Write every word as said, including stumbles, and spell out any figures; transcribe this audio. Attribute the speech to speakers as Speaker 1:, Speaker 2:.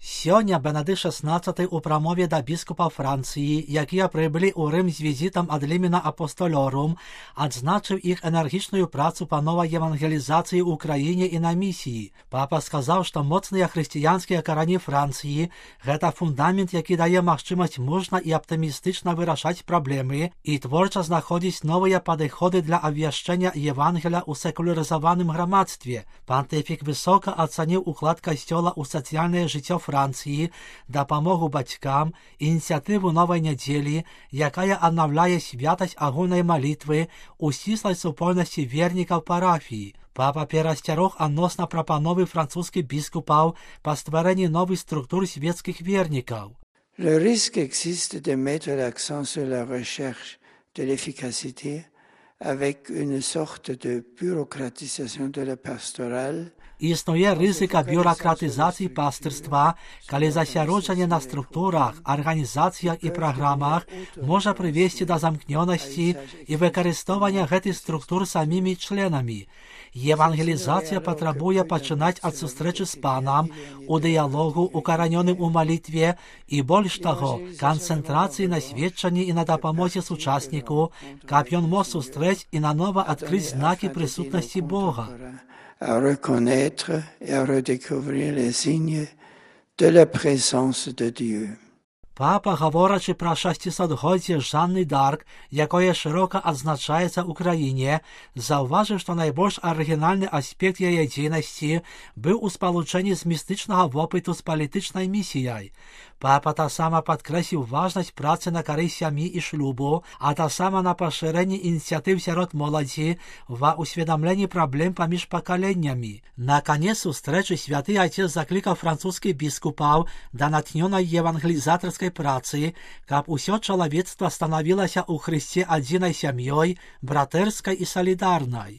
Speaker 1: Сёння Бенедикт шестнадцатый у прамове да біскупаў Францыі, якія прыбылі ў Рым з візітам ад Лімена Апостолорум, адзначыў іх энергічную працу па новай евангелізацыі ў краіне і на місіі. Папа сказаў, што моцныя хрысціянскія карані Францыі – гэта фундамент, які дае магчымасць мужна і аптымістычна вырашаць праблемы і творча знаходзіць новыя падыходы для абвяшчэння Евангеля ў секулярызаваным грамадстве. Пантыфік высока ацаніў уклад касцёла ў сацыяльнае жыццё Францыі, дапамогу бацькам, ініцыятыву новай нядзелі, якая аднаўляе святасць агульнай малітвы ў сціслай супольнасці вернікаў парафіі. Папа перасцярог адносна прапановы французскіх біскупаў па стварэнні новых структур свецкіх вернікаў.
Speaker 2: Le risque existe de mettre l'accent sur la recherche de l'efficacité avec une sorte de bureaucratisation de la pastorale.
Speaker 1: Існуе рызыка бюракратызацыі пастырства, калі засяроджанне на структурах, арганізацыях і праграмах можа прывесці да замкнёнасці і выкарыстоўвання гэтых структур самімі членамі. Евангелізацыя патрабуе пачынаць ад сустрэчы з панам, у дыялогу, укаранёным у малітве і, больш таго, канцэнтрацыі на сведчанні і на дапамозе сучасніку, каб ён мог сустрэць і нанова адкрыць знакі прысутнасці Бога.
Speaker 2: À reconnaître et à redécouvrir les signes de la présence de Dieu.
Speaker 1: Папа, гаворачы пра шасцісотгоддзе Жанны д'Арк, якое шырока адзначаецца ў краіне, заўважыў, што найбольш арыгінальны аспект яе дзейнасці быў у спалучэнні з містычнага вопыту з палітычнай місіяй. Папа таксама падкрэсліў важнасць працы на карысць сям'і і шлюбу, а таксама на пашырэнні ініцыятыў сярод моладзі ва ўсведамленні праблем паміж пакаленнямі. На канец сустрэчы святы Айцец заклікаў французскіх біскупаў да натхнёнай евангелізатарскай працы, каб усё чалавецтва станавілася ў Хрысце адзінай сям'ёй, братэрскай і салідарнай.